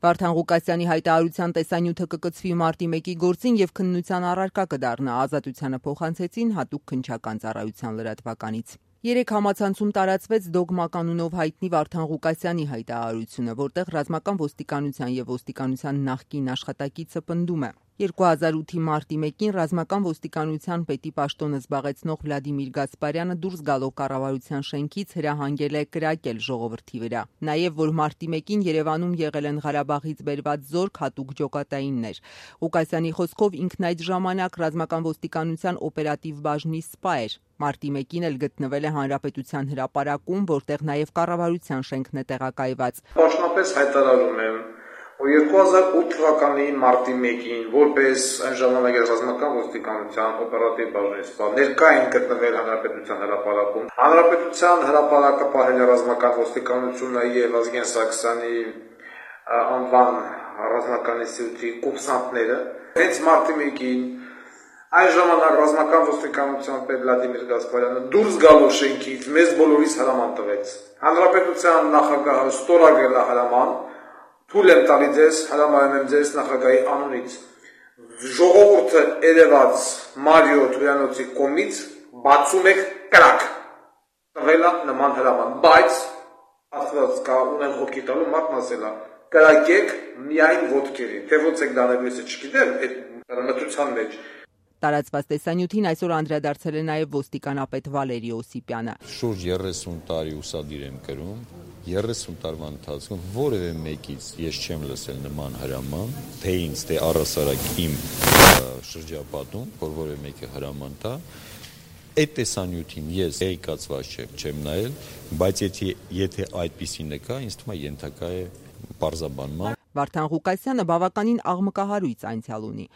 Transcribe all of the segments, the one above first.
Վարդան Ղուկասյանի հայտարարության տեսանյութը կկցվի մարտի 1-ի գործին եւ քննության առարկա կդառնա, ազատությանը փոխանցեցին հատուկ քննչական ծառայության լրատվականից։ Երեք համացանցում տարածվեց Դոգմա կանունով հայտնի Վարդան Ղուկասյանի հայտարարությունը, որտեղ ռազմական ոստիկանության եւ ոստիկանության նախկին աշխատակիցը պնդում է. 2008-ի մարտի 1-ին ռազմական ոստիկանության պետի պաշտոնը զբաղեցնող Վլադիմիր Գասպարյանը դուրս գալով կառավարության շենքից հրահանգել է կրակել ժողովրդի վրա։ Նաև որ մարտի 1-ին Երևանում եղել են Ղարաբաղից բերված զորք հատուկ ջոկատայիններ։ Ղուկասյանի խոսքով ինքն այդ ժամանակ ռազմական ոստիկանության օպերատիվ բաժնի սպա էր։ Մարտի 1-ին էլ գտնվել է Հանրապետության հրապարակում, որտեղ նաև կառավարության շենքն է տեղակայված։ Պաշտոնապես հայտարարում եմ, որ 2008 թվականի մարտի 1-ին որպես այն ժամանակ ռազմական ոստիկանության օպերատիվ բաժնի սպա ներկա են գտնվել Հանրապետության հրապարակում։ Հանրապետության հրապարակը պահել է ռազմական ոստիկանությունը եւ Ազգեն Սարգսյանի անվան ռազմական ինստիտուտի կուրսանտները։ Հենց մարտի 1-ին այն ժամանակ ռազմական ոստիկանության պետ Վլադիմիր Գասպարյանը դուրս գալով շենքից մեզ բոլորիս հրաման տվեց։ Հանրապետության նախագահը ստորագրել է հրաման, թույլ եմ տալի ձեզ, հրամայում եմ ձեզ նախագահի անունից։ Ժողովուրդը երևաց Մարիո Թուրանոցի կողմից 61 կրակ տվել է նման հրաման, բայց աստված կա ունեն հոգի տալու մարդն ասել է կրակեք միայն ոտքերին, թե ոնց եք դանել ես չգիտեմ, այդ մտության մեջ։ Տարածված տեսանյութին այսօր անդրադարձել է նաև ոստիկանապետ Վալերի Օսիպյանը։ Շուրջ 30 տարի ուսադիր եմ կրում, 30 տարվա ընթացքում որևէ մեկից ես չեմ լսել նման հրաման, թե ինձ, թե առհասարակ իմ շրջապատում, որ որևէ մեկը հրաման տա։ Այդ տեսանյութին ես էկացված չեմ նայել, բայց եթե այդպիսին կա, ինձ թվում է ենթակա է պարզաբանման։ Վարդան Ղուկասյանը բավականին աղմկահարույց անցյալ ունի։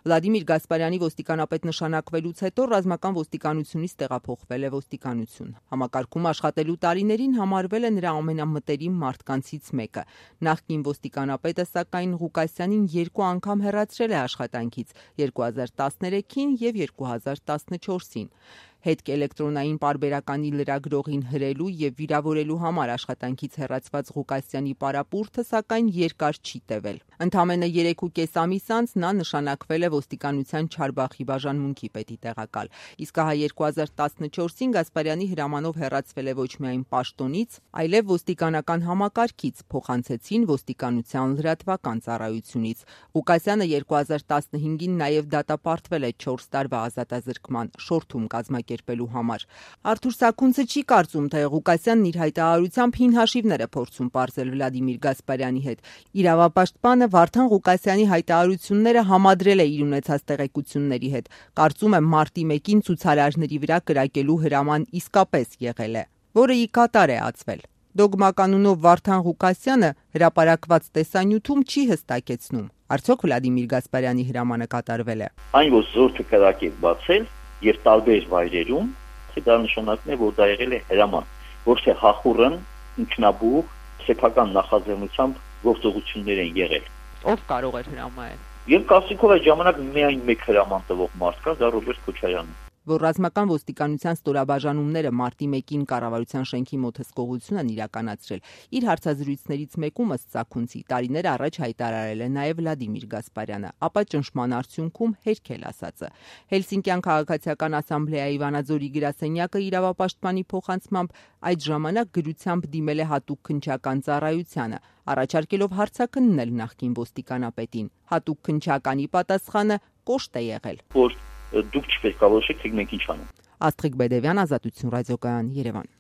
Վլադիմիր Գասպարյանի ոստիկանապետ նշանակվելուց հետո ռազմական ոստիկանությունից տեղափոխվել է ոստիկանություն։ Համակարգում աշխատելու տարիներին համարվել է նրա ամենամտերիմ մարդկանցից մեկը։ Նախկին ոստիկանապետը սակայն Ղուկասյանին 2 անգամ հեռացրել է աշխատանքից՝ 2013-ին եւ 2014-ին։ Հետք էլեկտրոնային պարբերականի լրագրողին հրելու եւ վիրավորելու համար աշխատանքից հեռացված Ղուկասյանի պարապուրդը սակայն երկար չի տևել։ Ընդամենը 3.5 ամիս անց նա նշանակվել է ոստիկանության Չարբախի բաժանմունքի պետի տեղակալ։ Իսկ ահա 2014-ին Գասպարյանի հրամանով հեռացվել է ոչ միայն պաշտոնից, այլև ոստիկանական համակարգից, փոխանցեցին ոստիկանության լրատվական ծառայությունից։ Ղուկասյանը 2015-ին նաեւ դատապարտվել է 4 տարվա ազատազրկման շորթում կազմակերպելու համար։ Արթուր Սաքունցը չի կարծում, թե Ղուկասյանն իր հայտարարությամբ հին հաշիվներ է փորձում պարզել Վլադիմիր Գասպարյանի հետ։ Իրավապաշտպանը Վարդան Ղուկասյանի հայտարարությունները համադրել է իր ունեցած տեղեկությունների հետ։ Կարծում է մարտի 1-ին ցուցարարների վրա կրակելու հրաման իսկապես եղել է, որը ի կատար է ածվել։ Դոգմա կանունով Վարդան Ղուկասյանը հրապարակված տեսանյութում չի հստակեցնում, արդյոք Վլադիմիր Գասպարյանի հրամանը կատարվել է։ Այն որ զորքը կրակ է բացել եւ տարբեր վայրերում, դա նշանակում է, որ դա եղել է հրաման, ոչ թե հախուռն, ինքնաբուխ, սեփական նախաձեռնությամբ գործողություններ են եղել։ Ով կարող էր հրամանել։ Եվ կարծիքով այդ ժամանակ միայն մեկ հրաման տվող մարդ կա, դա Ռոբերտ Քոչարյանն է։ Որ ռազմական ոստիկանության ստորաբաժանումները մարտի 1-ին կառավարության շենքի մոտ հսկողություն են իրականացրել, իր հարցազրույցներից մեկում ըստ Սաքունցի տարիներ առաջ հայտարարել է նաև Վլադիմիր Գասպարյանը, ապա ճնշման արդյունքում հերքել ասածը։ Հելսինկյան քաղաքացիական ասամբլեայի Վանաձորի գրասենյակը իրավապաշտպանի փոխանցմամբ այդ ժամանակ գրությամբ դիմել է հատուկ քննչական ծառայությանը, առաջարկելով հարցաքննել նախկին ոստիկանապետին։ Հատուկ քննչականի պատասխանը կոշտ է եղել։ Որ դուք չպետք է որոշեք, թե մենք ինչ անենք։ Աստղիկ Բեդևյան, Ազատություն ռադիոկայան, Երևան։